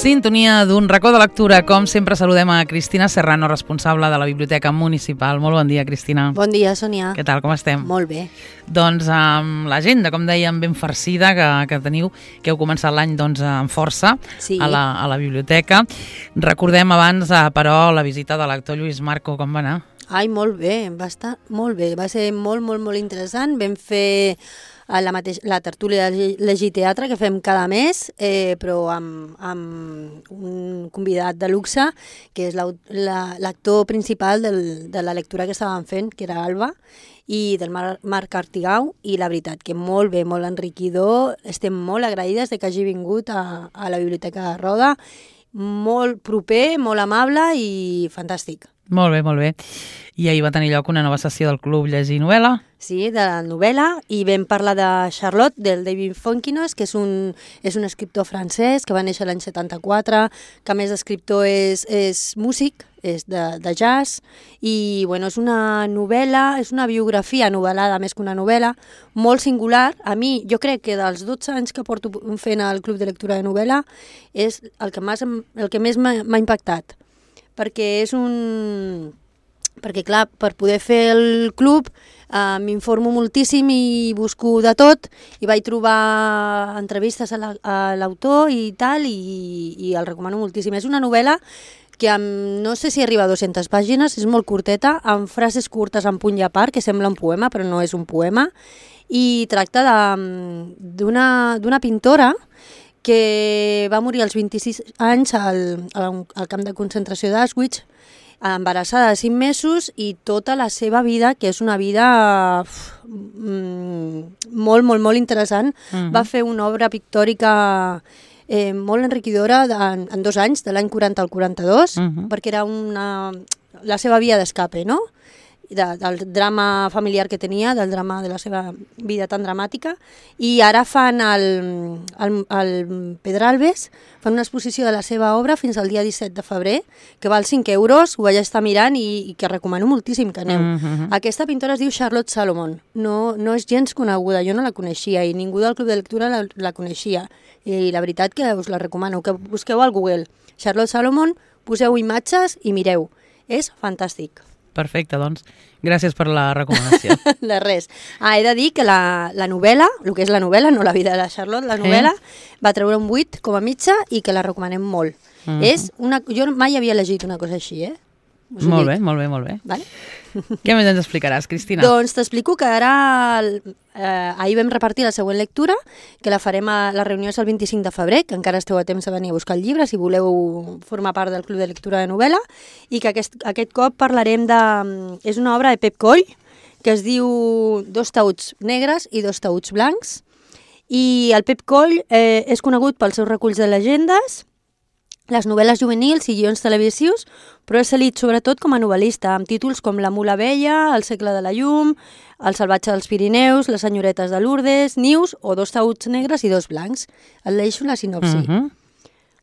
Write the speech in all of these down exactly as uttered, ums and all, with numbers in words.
Sintonia d'un racó de lectura. Com sempre saludem a Cristina Serrano, responsable de la Biblioteca Municipal. Molt bon dia, Cristina. Bon dia, Sònia. Què tal, com estem? Molt bé. Doncs amb l'agenda, com dèiem, ben farcida que, que teniu, que heu començat l'any doncs, amb força sí. a, la, a la biblioteca. Recordem abans, però, la visita de l'actor Lluís Marco. Com va anar? Ai, molt bé, va estar molt bé. Va ser molt, molt, molt interessant. Vam fer la, mateix, la tertúlia de Llegir Teatre que fem cada mes, eh, però amb, amb un convidat de luxe, que és l'actor principal del, de la lectura que estàvem fent, que era Alba, i del Mar Marc Artigau, i la veritat que molt bé, molt enriquidor. Estem molt agraïdes de que hagi vingut a, a la Biblioteca de Roda. Molt proper, molt amable i fantàstic. Molt bé, molt bé. I ahir va tenir lloc una nova sessió del Club Llegir Novel·la. Sí, de la novel·la, i vam parlar de Charlotte, del David Fonkinos, que és un, és un escriptor francès que va néixer l'any setanta-quatre, que a més d'escriptor és, és músic, és de, de jazz, i bueno, és una novel·la, és una biografia novel·lada més que una novel·la, molt singular. A mi, jo crec que dels dotze anys que porto fent al Club de Lectura de Novel·la, és el que, més, el que més m'ha impactat, perquè és un... perquè clar, per poder fer el club eh, m'informo moltíssim i busco de tot, i vaig trobar entrevistes a l'autor i tal, i, i el recomano moltíssim. És una novel·la que amb, no sé si arriba a dues-centes pàgines, és molt curteta, amb frases curtes en punt i a part, que sembla un poema, però no és un poema, i tracta d'una pintora que va morir als vint-i-sis anys al, al camp de concentració d'Auschwitz, embarassada de cinc mesos, i tota la seva vida, que és una vida uf, molt, molt, molt interessant. Uh-huh. Va fer una obra pictòrica eh, molt enriquidora en, en dos anys, de l'any quaranta al quaranta-dos, uh-huh. perquè era una, la seva via d'escape, no? De, del drama familiar que tenia, del drama de la seva vida tan dramàtica, i ara fan el, el, el Pedralbes, fan una exposició de la seva obra fins al dia disset de febrer, que val cinc euros, ho vaig estar mirant i, i que recomano moltíssim que aneu. Mm-hmm. Aquesta pintora es diu Charlotte Salomon, no, no és gens coneguda, jo no la coneixia i ningú del Club de Lectura la, la coneixia, i la veritat que us la recomano, que busqueu al Google Charlotte Salomon, poseu imatges i mireu, és fantàstic. Perfecte, doncs, gràcies per la recomanació. De res. Ah, he de dir que la, la novel·la, el que és la novel·la, no la vida de la Charlotte, la novel·la eh? va treure un vuit com a mitja i que la recomanem molt. Uh-huh. És una, jo mai havia llegit una cosa així, eh? Molt bé, molt bé, molt bé. Vale? Què més ens explicaràs, Cristina? Doncs t'explico que ara, eh, ahir vam repartir la següent lectura, que la farem a la reunió és el vint-i-cinc de febrer, que encara esteu a temps de venir a buscar el llibre si voleu formar part del Club de Lectura de Novel·la, i que aquest, aquest cop parlarem de... És una obra de Pep Coll, que es diu Dos taüts negres i dos taüts blancs, i el Pep Coll eh, és conegut pels seus reculls de llegendes, les novel·les juvenils i guions televisius, però és elit sobretot com a novel·lista, amb títols com La mula vella, El segle de la llum, El salvatge dels Pirineus, Les senyoretes de Lourdes, Nius o Dos taüts negres i dos blancs. Et leixo la sinopsi. Uh-huh.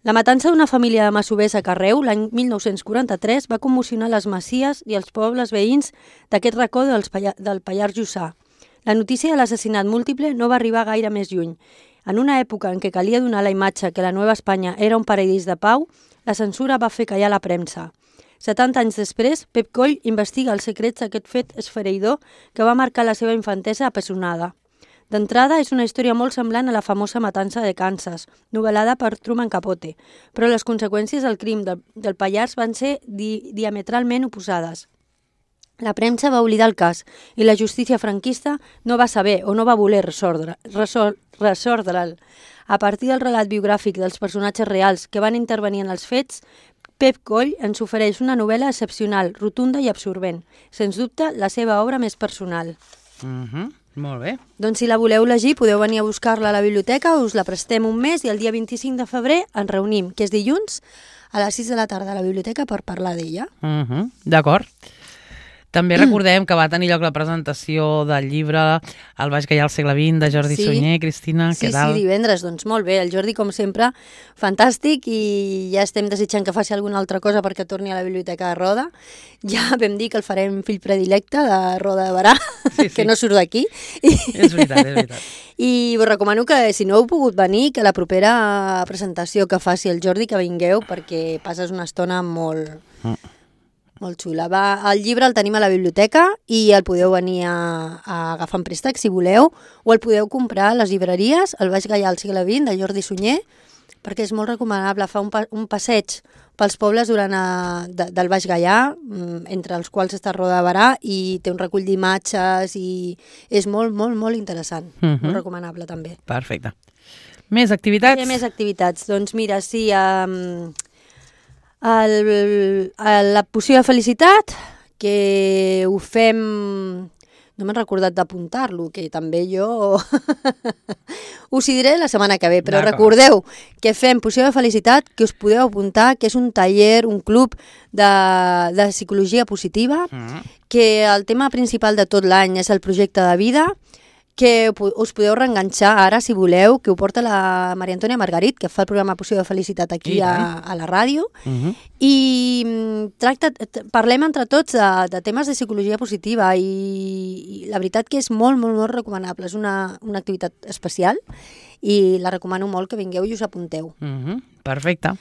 La matança d'una família de masovers a Carreu l'any mil nou-cents quaranta-tres va commocionar les masies i els pobles veïns d'aquest racó dels Palla- del Pallars Jussà. La notícia de l'assassinat múltiple no va arribar gaire més lluny. En una època en què calia donar la imatge que la Nova Espanya era un paradís de pau, la censura va fer callar la premsa. setanta anys després, Pep Coll investiga els secrets d'aquest fet esfereïdor que va marcar la seva infantesa apessonada. D'entrada, és una història molt semblant a la famosa matança de Kansas, novel·lada per Truman Capote, però les conseqüències del crim del, del Pallars van ser di diametralment oposades. La premsa va oblidar el cas i la justícia franquista no va saber o no va voler resordre, resor, resordre'l. A partir del relat biogràfic dels personatges reals que van intervenir en els fets, Pep Coll ens ofereix una novel·la excepcional, rotunda i absorbent. Sens dubte, la seva obra més personal. Uh-huh. Molt bé. Doncs si la voleu llegir, podeu venir a buscar-la a la biblioteca, us la prestem un mes i el dia vint-i-cinc de febrer ens reunim, que és dilluns, a les sis de la tarda a la biblioteca per parlar d'ella. Uh-huh. D'acord. També recordem que va tenir lloc la presentació del llibre El baix gaià al segle vint de Jordi Sí. Sunyer. Cristina, Sí, què tal? sí, divendres, doncs molt bé. El Jordi, com sempre, fantàstic, i ja estem desitjant que faci alguna altra cosa perquè torni a la Biblioteca de Roda. Ja vam dir que el farem fill predilecte de Roda de Barà, Sí, sí. que no surt d'aquí. És veritat, és veritat. I us recomano que, si no heu pogut venir, que la propera presentació que faci el Jordi, que vingueu, perquè passes una estona molt... Mm. Molt xula. Va, el llibre el tenim a la biblioteca i el podeu venir a, a agafar en préstec si voleu, o el podeu comprar a les llibreries, el Baix Gaià al segle vint de Jordi Sunyer, perquè és molt recomanable. Fa un, pa, un passeig pels pobles durant a, de, del Baix Gaià, entre els quals està Roda de Barà, i té un recull d'imatges i és molt, molt, molt interessant. Mhm. Molt recomanable també. Perfecte. Més activitats? Hi ha més activitats. Doncs mira, sí, um, el, el, la poció de felicitat, que ho fem... No m'he recordat d'apuntar-lo, que també jo... Us hi diré la setmana que ve, però recordeu que fem poció de felicitat, que us podeu apuntar, que és un taller, un club de, de psicologia positiva, Mm. que el tema principal de tot l'any és el projecte de vida, que us podeu reenganxar ara, si voleu, que ho porta la Maria Antònia Margarit, que fa el programa Poció de Felicitat aquí a, a la ràdio, Mm-hmm. i tracta, parlem entre tots de, de temes de psicologia positiva, i, i la veritat que és molt, molt, molt recomanable. És una, una activitat especial i la recomano molt que vingueu i us apunteu. Mm-hmm. Perfecte.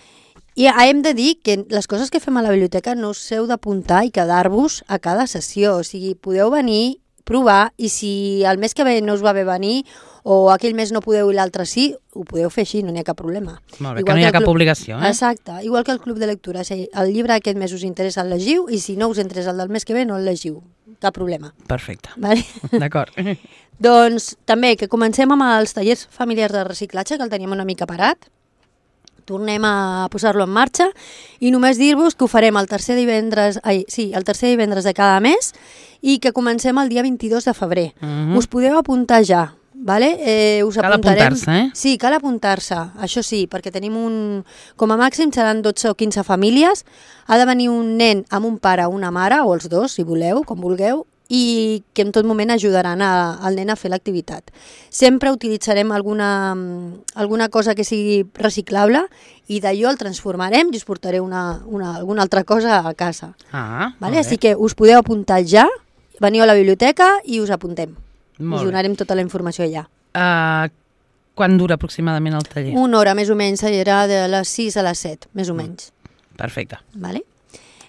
I hem de dir que les coses que fem a la biblioteca no us heu d'apuntar i quedar-vos a cada sessió, o sigui, podeu venir, provar, i si el mes que ve no us va bé venir o aquell mes no podeu i l'altre sí, ho podeu fer així, no n'hi ha cap problema. Molt bé, igual que no hi ha cap club... obligació. Eh? Exacte, igual que el club de lectura. Si el llibre aquest mes us interessa, el llegiu, i si no us interessa el del mes que ve, no el llegiu. Cap problema. Perfecte. Vale? D'acord. Doncs també que comencem amb els tallers familiars de reciclatge, que el teníem una mica parat. Tornem a posar-lo en marxa i només dir-vos que ho farem el tercer divendres, ai, sí, el tercer divendres de cada mes i que comencem el dia vint-i-dos de febrer. Mm-hmm. Us podeu apuntar ja, vale? Eh, us Cal apuntarem... apuntar-se, eh? Sí, cal apuntar-se, això sí, perquè tenim un... Com a màxim seran dotze o quinze famílies, ha de venir un nen amb un pare o una mare, o els dos, si voleu, com vulgueu, i que en tot moment ajudaran a, al nen a fer l'activitat. Sempre utilitzarem alguna, alguna cosa que sigui reciclable i d'allò el transformarem i us portaré una, una, alguna altra cosa a casa. Ah, Vale? Així que us podeu apuntar ja, veniu a la biblioteca i us apuntem. Molt us bé. donarem tota la informació allà. Uh, quan dura aproximadament el taller? Una hora més o menys, serà de les sis a les set, més o menys. Perfecte. Vale?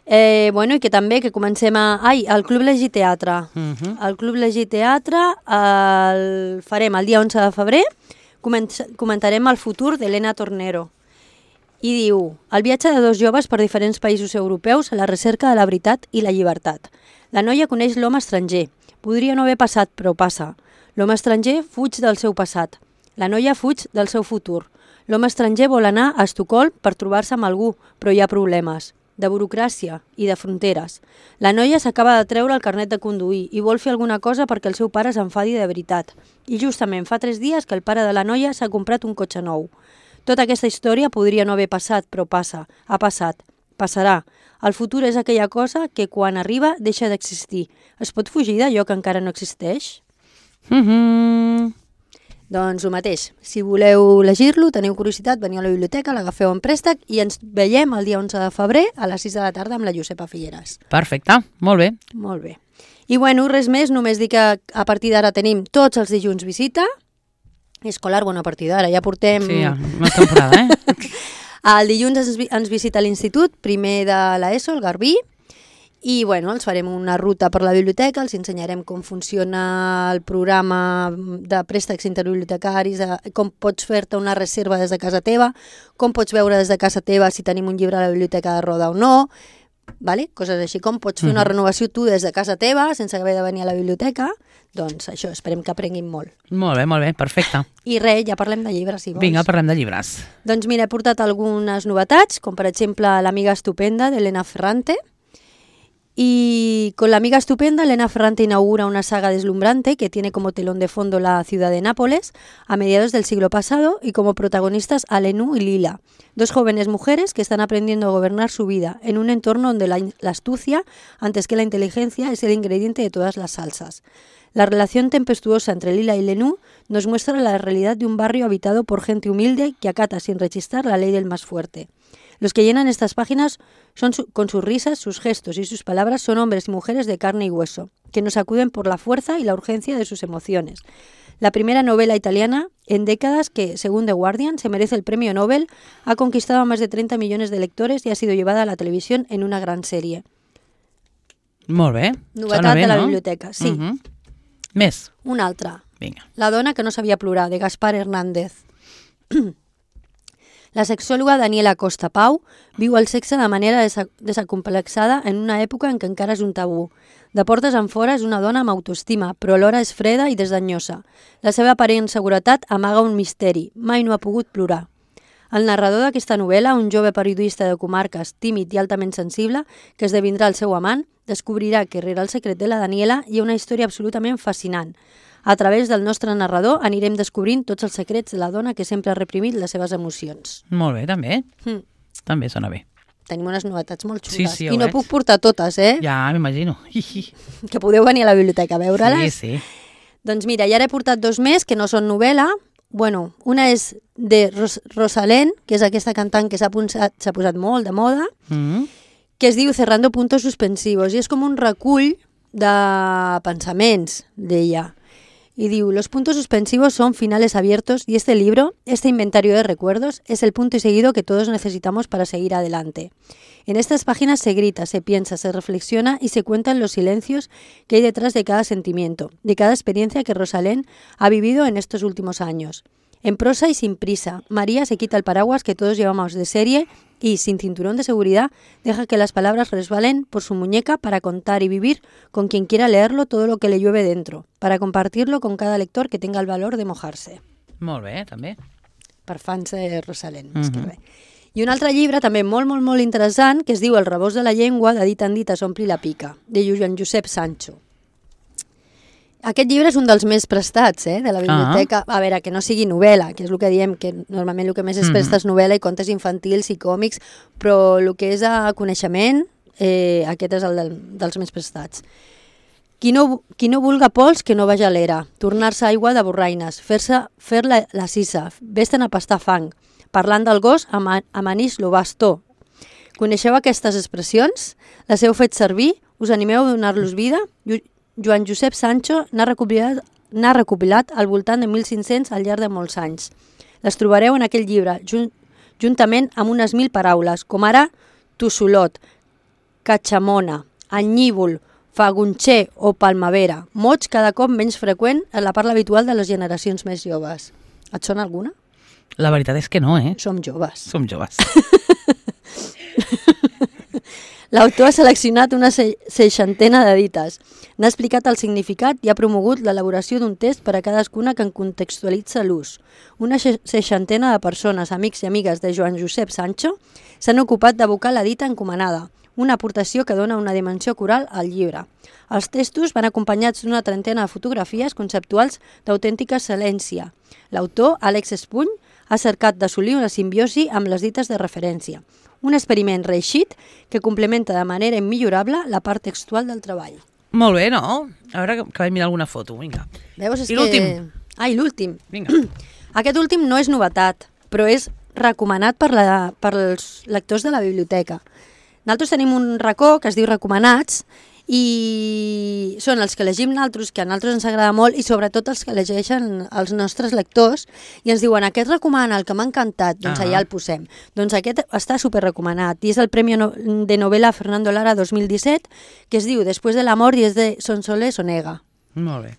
Eh, bueno, i que també que comencem a... Ai, el Club Llegir Teatre. Mm-hmm. El Club Llegir Teatre el farem el dia onze de febrer, comentarem el futur d'Helena Tornero. I diu, el viatge de dos joves per diferents països europeus a la recerca de la veritat i la llibertat. La noia coneix l'home estranger. Podria no haver passat, però passa. L'home estranger fuig del seu passat. La noia fuig del seu futur. L'home estranger vol anar a Estocolm per trobar-se amb algú, però hi ha problemes de burocràcia i de fronteres. La noia s'acaba de treure el carnet de conduir i vol fer alguna cosa perquè el seu pare s'enfadi de veritat. I justament fa tres dies que el pare de la noia s'ha comprat un cotxe nou. Tota aquesta història podria no haver passat, però passa, ha passat, passarà. El futur és aquella cosa que quan arriba deixa d'existir. Es pot fugir d'allò que encara no existeix? Mm-hmm. Doncs el mateix. Si voleu llegir-lo, teniu curiositat, veniu a la biblioteca, l'agafeu en préstec i ens veiem el dia onze de febrer a les sis de la tarda amb la Josepa Figueres. Perfecte, molt bé. Molt bé. I bueno, res més, només dir que a partir d'ara tenim tots els dilluns visita. Escolar, bueno, a partir d'ara, ja portem... Sí, ja, una temporada, eh? El dilluns ens, ens visita l'institut, primer de l'ESO, el Garbí, i bueno, els farem una ruta per la biblioteca, els ensenyarem com funciona el programa de préstecs interbibliotecaris, com pots fer-te una reserva des de casa teva, com pots veure des de casa teva si tenim un llibre a la biblioteca de Roda o no, vale? Coses així, com pots fer una renovació tu des de casa teva sense haver de venir a la biblioteca. Doncs això, esperem que aprenguin molt. Molt bé, molt bé, perfecte. I res, ja parlem de llibres, si vols. Vinga, parlem de llibres. Doncs mira, he portat algunes novetats, com per exemple L'amiga estupenda d'Helena Ferrante, Y con la amiga estupenda, Elena Ferrante inaugura una saga deslumbrante que tiene como telón de fondo la ciudad de Nápoles a mediados del siglo pasado y como protagonistas a Lenú y Lila, dos jóvenes mujeres que están aprendiendo a gobernar su vida en un entorno donde la, la astucia, antes que la inteligencia, es el ingrediente de todas las salsas. La relación tempestuosa entre Lila y Lenú nos muestra la realidad de un barrio habitado por gente humilde que acata sin rechistar la ley del más fuerte. Los que llenan estas páginas son su, con sus risas, sus gestos y sus palabras son hombres y mujeres de carne y hueso, que nos acuden por la fuerza y la urgencia de sus emociones. La primera novela italiana en décadas que, según The Guardian, se merece el premio Nobel, ha conquistado a más de treinta millones de lectores y ha sido llevada a la televisión en una gran serie. Molt bé. Novetat bé, de la no? biblioteca, sí. Uh -huh. Més. Una altra. Vinga. La dona que no sabia plorar, de Gaspar Hernández. La sexòloga Daniela Costa Pau viu el sexe de manera desa desacomplexada en una època en què encara és un tabú. De portes enfora és una dona amb autoestima, però alhora és freda i desdenyosa. La seva aparent seguretat amaga un misteri. Mai no ha pogut plorar. El narrador d'aquesta novel·la, un jove periodista de comarques, tímid i altament sensible, que esdevindrà el seu amant, descobrirà que rere el secret de la Daniela hi ha una història absolutament fascinant. A través del nostre narrador anirem descobrint tots els secrets de la dona que sempre ha reprimit les seves emocions. Molt bé, també. Mm. També sona bé. Tenim unes novetats molt xules. Sí, sí, I no veig. puc portar totes, eh? Ja, m'imagino. Que podeu venir a la biblioteca a veure-les. Sí, sí. Doncs mira, ja he portat dos més que no són novel·la. Bueno, una és de Ros Rosalén, que és aquesta cantant que s'ha s'ha posat molt de moda, Mm -hmm. que es diu Cerrando puntos suspensivos, i és com un recull de pensaments d'ella. Y digo, los puntos suspensivos son finales abiertos y este libro, este inventario de recuerdos, es el punto y seguido que todos necesitamos para seguir adelante. En estas páginas se grita, se piensa, se reflexiona y se cuentan los silencios que hay detrás de cada sentimiento, de cada experiencia que Rosalén ha vivido en estos últimos años. En prosa y sin prisa, María se quita el paraguas que todos llevamos de serie y, sin cinturón de seguridad, deja que las palabras resbalen por su muñeca para contar y vivir con quien quiera leerlo todo lo que le llueve dentro, para compartirlo con cada lector que tenga el valor de mojarse. Molt bé, també. Per fans de Rosalén, Mhm. més que res. I un altre llibre també molt, molt, molt interessant que es diu El rebós de la llengua, de dit en dit s'ompli la pica, de Joan Josep Sancho. Aquest llibre és un dels més prestats, eh, de la biblioteca. Ah. A veure, que no sigui novel·la, que és el que diem, que normalment el que més es presta és novel·la i contes infantils i còmics, però el que és a coneixement, eh, aquest és el del, dels més prestats. Qui no, qui no vulga pols, que no vagi a l'era, tornar-se aigua de borraines, fer-se fer la, la sisa, vés-te'n a pastar fang, parlant del gos, amanix lo bastó. Coneixeu aquestes expressions? Les heu fet servir? Us animeu a donar-los vida? Joan Josep Sancho n'ha recopilat, n'ha recopilat al voltant de mil cinc-cents al llarg de molts anys. Les trobareu en aquell llibre, junt, juntament amb unes mil paraules, com ara tossolot, catxamona, anyívol, fagunxer o palmavera, mots cada cop menys freqüent en la parla habitual de les generacions més joves. Et sona alguna? La veritat és que no, eh? Som joves. Som joves. L'autor ha seleccionat una seixantena de dites. N'ha explicat el significat i ha promogut l'elaboració d'un test per a cadascuna que en contextualitza l'ús. Una seixantena de persones, amics i amigues de Joan Josep Sancho, s'han ocupat d'abocar la dita encomanada, una aportació que dona una dimensió coral al llibre. Els textos van acompanyats d'una trentena de fotografies conceptuals d'autèntica excel·lència. L'autor, Àlex Espuny, ha cercat d'assolir una simbiosi amb les dites de referència. Un experiment reeixit que complementa de manera immillorable la part textual del treball. Molt bé, no? A veure que, que vaig mirar alguna foto, vinga. Veus, és I que... l'últim? Ah, i l'últim. Vinga. Aquest últim no és novetat, però és recomanat per, la, per els lectors de la biblioteca. Nosaltres tenim un racó que es diu Recomanats i són els que llegim nosaltres, que a nosaltres ens agrada molt, i sobretot els que llegeixen els nostres lectors i ens diuen, aquest recomana, el que m'ha encantat, doncs Ah. allà el posem. Doncs aquest està superrecomanat i és el Premi no- de Novela Fernando Lara dos mil disset, que es diu Después del amor y es de Sonsoles Onega. Molt bé.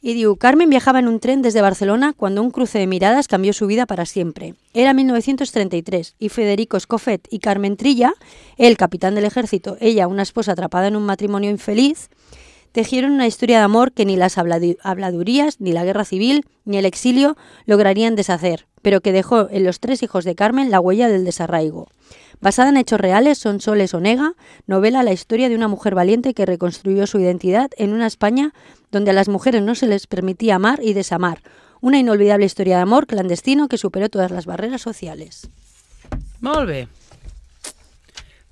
Y digo, Carmen viajaba en un tren desde Barcelona cuando un cruce de miradas cambió su vida para siempre. Era mil novecientos treinta y tres y Federico Escofet y Carmen Trilla, él capitán del ejército, ella una esposa atrapada en un matrimonio infeliz, tejieron una historia de amor que ni las habladu- habladurías, ni la guerra civil, ni el exilio lograrían deshacer, pero que dejó en los tres hijos de Carmen la huella del desarraigo. Basada en hechos reales, Sonsoles Onega novela la historia de una mujer valiente que reconstruyó su identidad en una España donde a las mujeres no se les permitía amar y desamar. Una inolvidable historia de amor clandestino que superó todas las barreras sociales. Molt bé.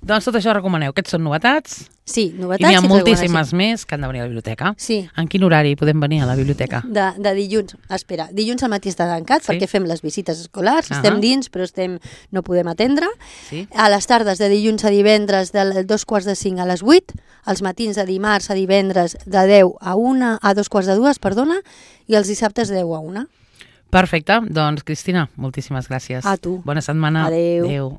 Doncs tot això recomaneu. Aquests són novetats. Sí, I novetats n'hi ha i moltíssimes més que han de venir a la biblioteca. Sí. En quin horari podem venir a la biblioteca? De, de dilluns, espera, dilluns al matí està tancat Sí. perquè fem les visites escolars, Ahà. estem dins però estem, no podem atendre. Sí. A les tardes de dilluns a divendres de dos quarts de cinc a les vuit, als matins de dimarts a divendres de deu a una, a dos quarts de dues, perdona, i els dissabtes de deu a una. Perfecte. Doncs, Cristina, moltíssimes gràcies. A tu. Bona setmana. Adéu. Adéu.